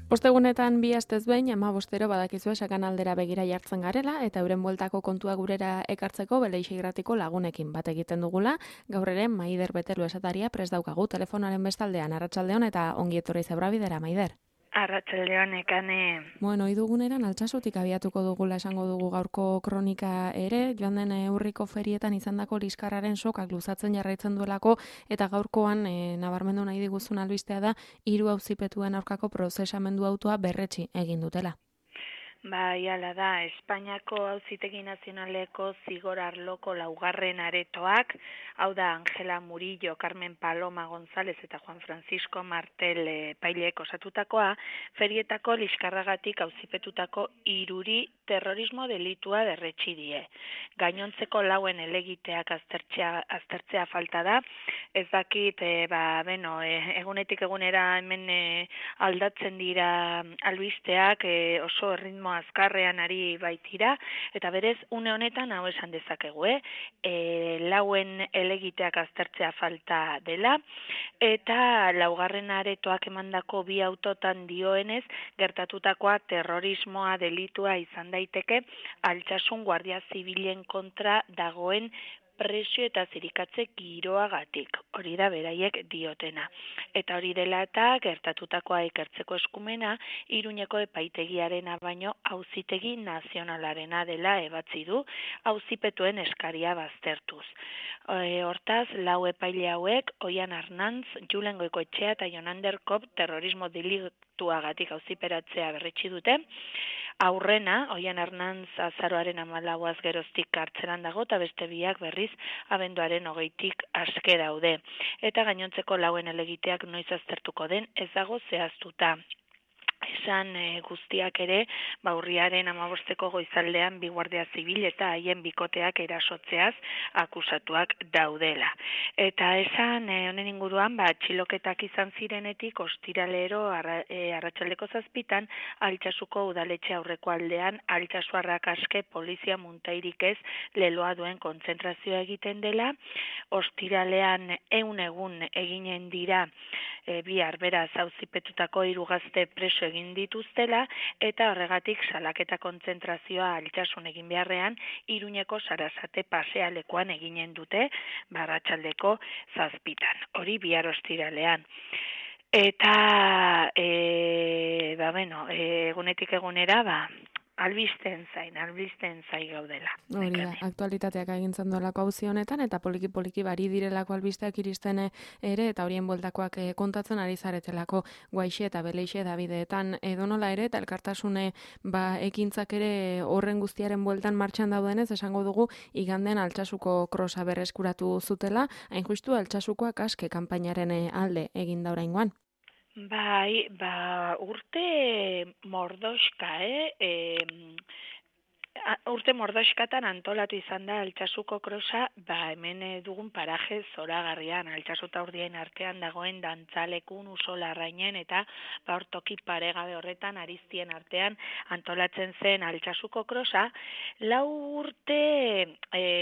Ostegunetan bi astez behin 15 badakizue sakanaldera begira jartzen garela eta euren bueltako kontua gurera ekartzeko Beleixe Irratiko lagunekin bat egiten dugula. Gaur ere Maider Betelu esataria prest daukagu telefonaren bestaldean. Arratsaldeon eta ongi etorri Zebrabidera, Maider. Arratsaldeon ekane. Bueno, iduguneran Altsasutik abiatuko dugula esango dugu gaurko kronika ere, joan den urriko ferietan izandako liskarraren sokak luzatzen jarraitzen duelako eta gaurkoan nabarmendu nahi diguzun albistea da 3 auzipetuen aurkako prozesamendu autoa berretsi egin dutela. Bai, hala da, Espainiako Auzitegi Nazionaleko zigor arloko laugarren aretoak, hau da Angela Murillo, Carmen Paloma González eta Juan Francisco Martel epaileek osatutakoa, ferietako liskarragatik auzipetutako 3 terrorismo delitua berretsi die. Gainontzeko lauen helegiteak aztertzea falta da, ez dakit, egunetik egunera hemen aldatzen dira albisteak oso erritmo azkarrean ari baitira, eta berez, une honetan hau esan dezakegu, lauen helegiteak aztertzea falta dela, eta laugarren aretoak emandako 2 autotan dioenez, gertatutakoa terrorismoa delitua izan daiteke, Altsasun Guardia Zibilen kontra dagoen presio eta zirikatze giroagatik, hori da beraiek diotena. Eta hori dela eta gertatutakoa ikertzeko eskumena, Iruñeko epaitegiarena baino Auzitegi Nazionalarena dela ebatzi du, auzipetuen eskaria baztertuz. Hortaz, 4 epaile hauek, Oian Arnantz, Julen Goikoetxea eta Jonander Kop terrorismo delituagatik auziperatzea berretsi dute. Aurrena, Oian Arnantz azaroaren 14 geroztik kartzelan dago, eta beste biak berriz abenduaren 20tik aske daude. Eta gainontzeko lauen helegiteak noiz aztertuko den ez dago zehaztuta. Esan guztiak ere, urriaren 15ko goizaldean 2 guardia zibil eta haien bikoteak erasotzeaz akusatuak daudela. Eta esan honen inguruan, atxiloketak izan zirenetik ostiralero arratsaldeko 7 Altsasuko udaletxe aurreko aldean Altsasuarrak aske polizia muntairik ez leloa duen kontzentrazioa egiten dela. Ostiralean 100 egun eginen dira bihar beraz auzipetutako 3 gazte preso egin dituztela eta horregatik salaketa kontzentrazioa Altsasun egin beharrean Iruñeko Sarasate pasealekuan eginen dute arratsaldeko 7. Hori bihar ostiralean. Eta egunetik egunera albisten zain gaudela. Hori da, aktualitateak agintzen duelako auzi honetan, eta poliki bari direlako albisteak iristen ere, eta horien bueltakoak kontatzen ari zaretelako Guaixe eta Beleixe Dabideetan edonola ere, eta elkartasune ekintzak ere horren guztiaren bueltan martxan daudenez, esango dugu, iganden Altsasuko krosa berreskuratu zutela, hain justu Altsasukoak aske kanpainaren alde egin da oraingoan. Bai, urte mordoxka, urte mordoxkatan antolatu izan da Altsasuko krosa, hemen dugun paraje zoragarrian, Altsasu eta Urdiain artean dagoen dantzalekun Usolarrainen eta toki paregabe horretan Aristien artean antolatzen zen Altsasuko krosa, 4 urte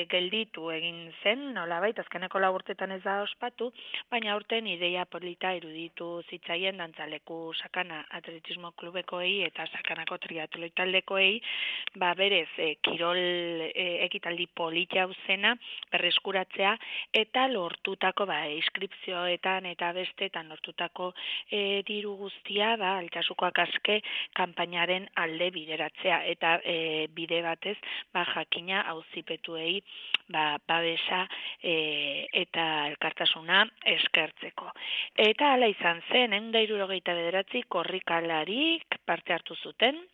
gelditu egin zen, nolabait, azkeneko 4 urtetan ez da ospatu, baina urten ideia polita iruditu zitzaien dantzaleku sakana atletismo klubekoei eta sakanako triatloi taldekoei, berez kirol ekitaldi polita zena berreskuratzea eta lortutako inskripzioetan eta bestetan lortutako diru guztia Altsasukoak aske kanpainaren alde bideratzea eta bide batez jakina auzipetuei babesa eta elkartasuna eskertzeko. Eta hala izan zen, 169 korrikalarik parte hartu zuten.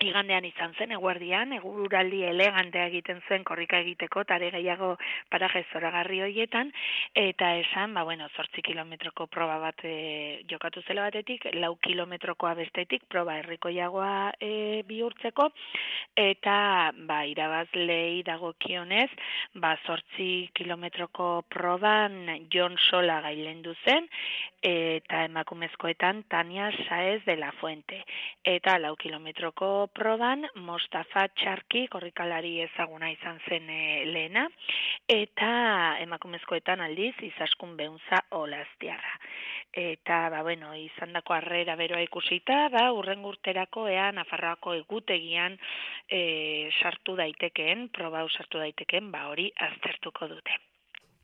Igandean izan zen, eguerdian, eguraldi elegantea egiten zen korrika egiteko, tare gehiago paraje zoragarri horietan, eta esan, 8 kilometroko proba bat jokatu zela batetik, 4 kilometrokoa bestetik, proba herrikoiagoa bihurtzeko, eta irabazlei dagokionez, 8 kilometroko proban Jon Sola gailendu zen, eta emakumezkoetan Tania Saez de la Fuente, eta 4 kilometroko proban Mostafa Txarki korrikalari ezaguna izan zen lehena, eta emakumezkoetan aldiz Izaskun Beunza Olaztiarra. Eta, izandako harrera beroa ikusita, hurrengo urterako ea Nafarroako egutegian sartu daitekeen, proba sartu daitekeen, hori aztertuko dute.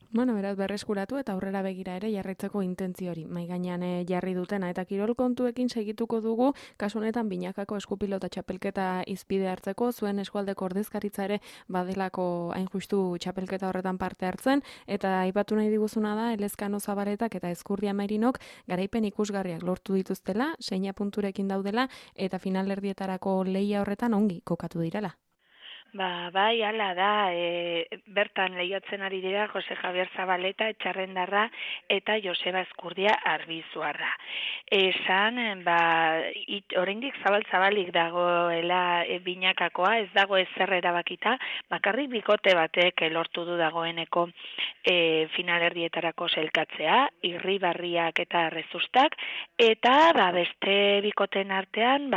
Beraz berreskuratu eta aurrera begira ere jarraitzeko intentzio hori mai gainean jarri dutena eta kirol kontuekin segituko dugu, kasu honetan binakako eskupilota txapelketa izpide hartzeko, zuen eskualdeko ordezkaritza ere badelako hain justu txapelketa horretan parte hartzen, eta aipatu nahi diguzuna da Elezkano Zabaletak eta Ezkurdia Merinok garaipen ikusgarriak lortu dituztela, 6 punturekin daudela eta finalerdietarako lehia horretan ongi kokatu direla. Bai, hala da, bertan lehiatzen ari dira Jose Javier Zabaleta, Etxarrendarra eta Joseba Ezkurdia Arbizuarra. Esan, oraindik zabalik dagoela binakakoa, ez dago ezer erabakita, bakarrik bikote batek lortu du dagoeneko finalerdietarako selkatzea, Irribarriak eta Rezustak, eta beste bikoten artean,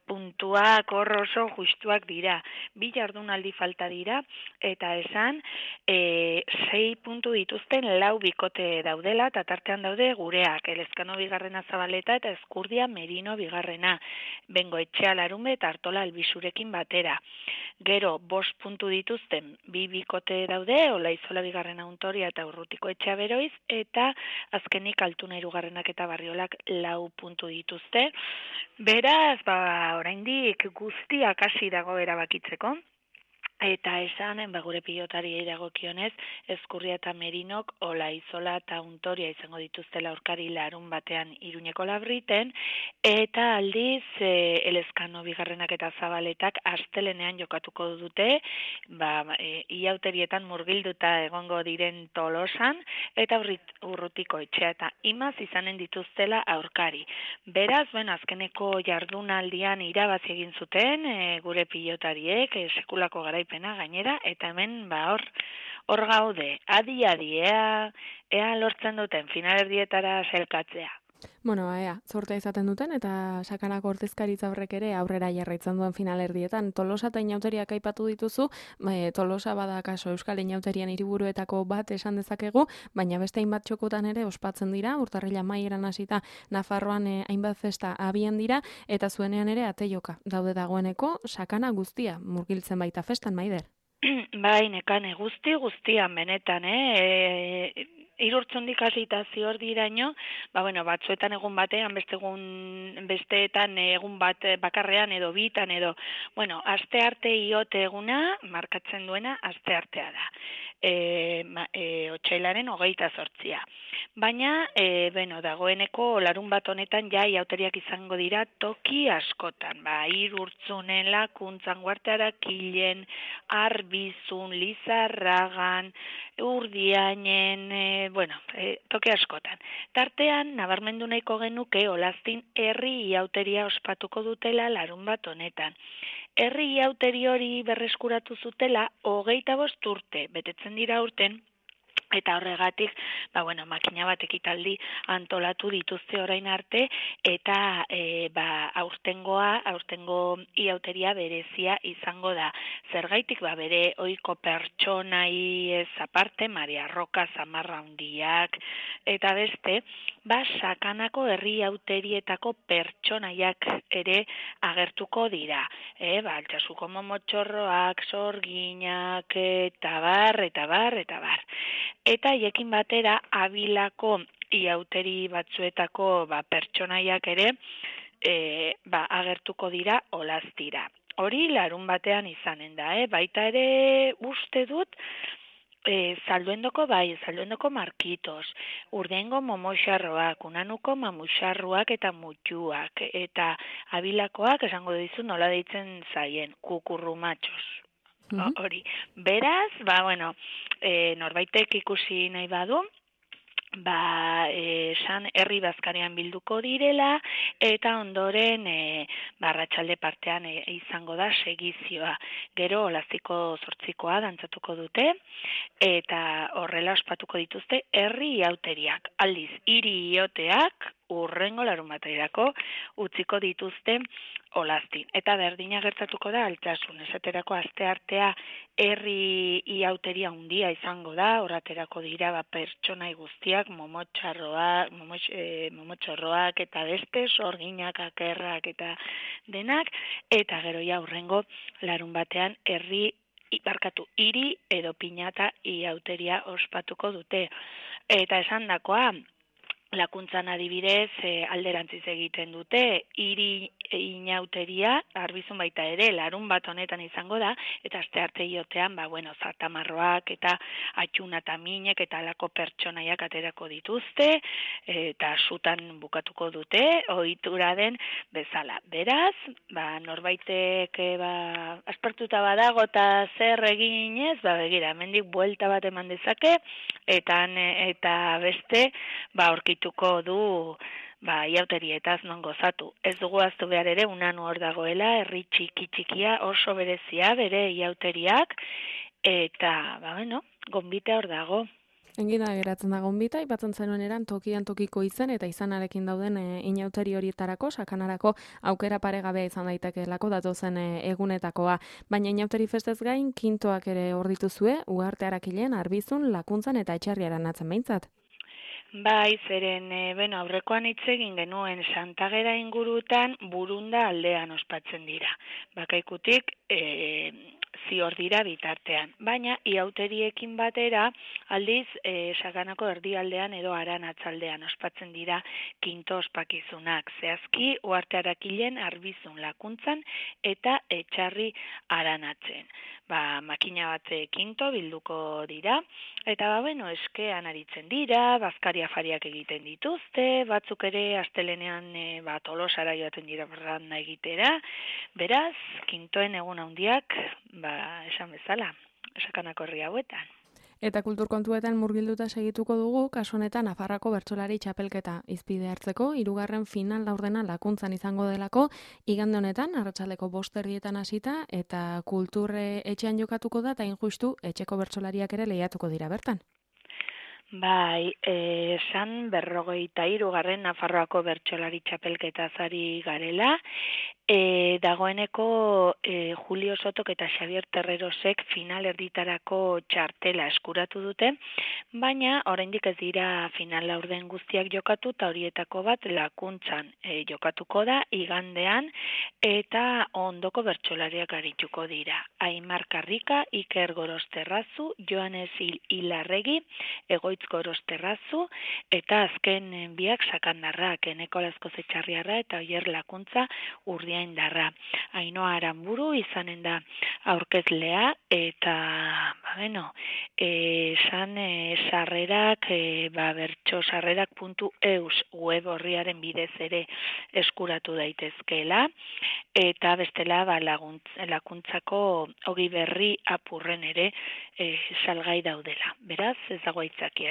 puntuak oso justuak dira. Bi jardunaldi falta dira, eta esan 6 puntu dituzten 4 bikote daudela, eta tartean daude gureak, Elezkano bigarrena Zabaleta eta Ezkurdia Merino bigarrena, Bengo Etxea Larunbe eta Artola Albizurekin batera. Gero, 5 puntu dituzten 2 bikote daude, Olaizola bigarrena Untoria eta Urrutiko Etxea Beroiz, eta azkenik Altuna hirugarrenak eta Barriolak 4 puntu dituzte. Beraz, oraindik guztiak hasi dago erabakitzeko. Eta esan, gure pilotariei dagokionez, Ezkurria eta Merinok, Olaizola eta Untoria izango dituztela aurkari larun batean Iruñeko Labriten, eta aldiz Elezkano bigarrenak eta Zabaletak astelenean jokatuko dute, iauterietan murgilduta egongo diren Tolosan, eta Urrutiko Etxea eta Imaz izanen dituztela aurkari. Beraz, azkeneko jardunaldian irabazi egin zuten, gure pilotariek, sekulako garaipen gainera, eta hemen hor gaude, adi, ea lortzen duten finalerdietara selkatzea. Ea, zortea izaten duten, eta sakanako ordezkaritza horrek ere aurrera jarraitzen duen finalerdietan. Tolosa eta inauteriak aipatu dituzu, Tolosa bada kaso Euskal Inauterian hiriburuetako bat esan dezakegu, baina beste hainbat txokotan ere ospatzen dira, urtarrila maieran hasita Nafarroan hainbat festa abian dira, eta zuenean ere ateioka daude dagoeneko, sakana guztia murgiltzen baita festan, Maider. Bai, nekane guztian benetan, Irurtzundik hasita zior diraino, batzuetan egun batean, besteetan egun bat bakarrean edo bitan edo, aste arte iote eguna markatzen duena aste artea da. Otsailaren 28. Baina, dagoeneko larun bat honetan iauteriak izango dira toki askotan. Irurtzunen, Lakuntzan, Guartearakilen, Arbizun, Lizarragan, Urdiainen, toki askotan. Tartean, nabarmendu nahiko genuke Olaztin herri iauteria ospatuko dutela larun bat honetan. Herri iauteri hori berreskuratu zutela 25 urte, betetzen dira urten, eta horregatik, makina bat ekitaldi antolatu dituzte orain arte, eta aurtengo iauteria berezia izango da. Zergaitik, bere ohiko pertsonai ez aparte, Maria Roka, Zamarra Handiak, eta beste, sakanako herri iauterietako pertsonaiak ere agertuko dira. Altsasuko momotxorroak, sorginak, eta bar. Eta hiekin batera Abilako iauteri batzuetako pertsonaiak ere agertuko dira Olaztira. Hori larun batean izanen da, baita ere uste dut Zalduendoko Markitos, Urdengo Momoxarroak, Unanuko Mamuxarroak eta Mutxuak, eta Abilakoak esango dizu nola deitzen zaien, Kukurrumatxos. Hori. Beraz, norbaitek ikusi nahi badu, esan herri bazkarean bilduko direla, eta ondoren arratsalde partean izango da segizioa. Gero Olaztiko 8koa dantzatuko dute, eta horrela ospatuko dituzte herri iauteriak. Aldiz, hiri ioteak urrengo larunbaterako utziko dituzte olaztin. Eta berdina gertatuko da Altsasun, esaterako asteartea herri iauteria handia izango da, oraterako dira pertsonai guztiak, momotxorroak eta beste, sorginak, akerrak eta denak, eta gero ja urrengo larunbatean hiri edo pinata iauteria ospatuko dute. Eta esandakoa, Lakuntzan adibidez alderantziz egiten dute, hiri inauteria, Arbizun baita ere, larun bat honetan izango da, eta astearte iotean, zatamarroak eta atxuna eta minek eta alako pertsonaiak aterako dituzte, eta sutan bukatuko dute, ohitura den bezala. Beraz, norbaitek aspertuta badago eta zer eginez, begira, hemendik buelta bat eman dezake, eta beste, aurkituko du iauterietaz non gozatu. Ez dugu ahaztu behar ere, Unanu hor dagoela, herri txikia oso berezia bere iauteriak, eta, gonbita hor dago. Engida geratzen da gonbita, aipatzen zenuen eran tokian tokiko izen eta izanarekin dauden inauteri horietarako, sakanarako aukera paregabea izan daitekeelako datozen egunetakoa. Baina inauteri festez gain, kintoak ere hor dituzue, Uharte Harakilen, Arbizun, Lakuntzan eta Etxarriaran atzen behintzat. Bai, zeren, aurrekoan hitz egin genuen Santagera ingurutan Burunda aldean ospatzen dira. Bakaikutik zior dira bitartean. Baina, iauteriekin batera, aldiz, Sakanako erdialdean edo Aranatzaldean ospatzen dira kinto ospakizunak. Zehazki, Uharte Harakilen, Arbizun, Lakuntzan eta Etxarri Aranatzen. Makina bat kinto bilduko dira, eta eskean aritzen dira, bazkari afariak egiten dituzte, batzuk ere astelenean Tolosara joaten dira barranda egitera, beraz, kintoen egun handiak, esan bezala, Sakanako herri hauetan. Eta kulturkontuetan murgilduta segituko dugu, kasu honetan Nafarroako bertsolari txapelketa izpide hartzeko, 3. final laurdena Lakuntzan izango delako, igande honetan, arratsaldeko 5:00 hasita, eta kulturre etxean jokatuko da, eta injustu etxeko bertsolariak ere lehiatuko dira bertan. Bai, esan 53. Nafarroako bertsolari txapelketaz ari garela, dagoeneko Julio Sotok eta Xavier Terrerosek final erditarako txartela eskuratu dute, baina oraindik ez dira final laurden guztiak jokatu, eta horietako bat Lakuntzan jokatuko da, igandean, eta ondoko bertsolariak arituko dira. Aimar Karrika, Iker Gorosterrazu, Joanes Ilarregi, Egoitz Gorosterrazu, eta azken biak Sakandarrak, Eneko Lazkoz Etxarriarra eta Oier Lakuntza Urdiaindarra. Ainhoa Aranburu izanen da aurkezlea, eta, esan sarrerak, bertxosarrerak.eus web horriaren bidez ere eskuratu daitezkeela, eta bestela Lakuntzako Ogi Berri apurren ere salgai daudela. Beraz, ez dago aitzakiarik,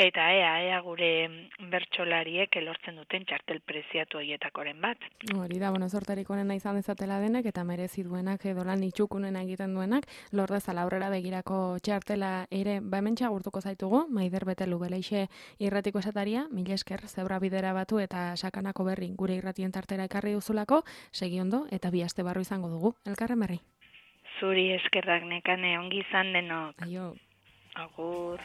eta ea gure bertsolariek elortzen duten txartel preziatu horietakoren bat. Hori da, sortarik onena izan dezatela denek, eta merezi duenak edo lan itxukunena egiten duenak, lor dezala aurrera begirako txartela ere, hemen txagurtuko zaitugu, Maider Betelu Beleixe irratiko esataria, mila esker zebra bidera batu eta Sakanako berri gure irratien tartera ekarri duzulako, segi ondo eta bi aste barru izango dugu. Elkarren berri. Zuri eskerrak Nekane, ongi izan denok. Aio. Agur.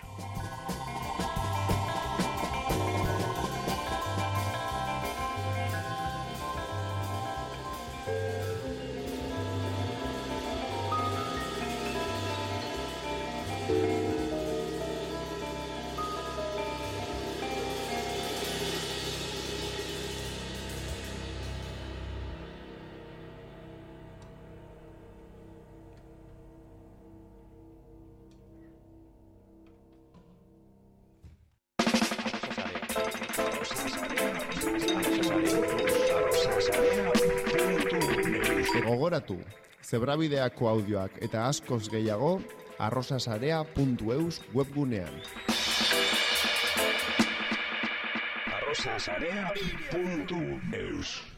Gogoratu, Zebrabideako audioak eta askoz gehiago arrosasarea.eus webgunean. arrosasarea.eus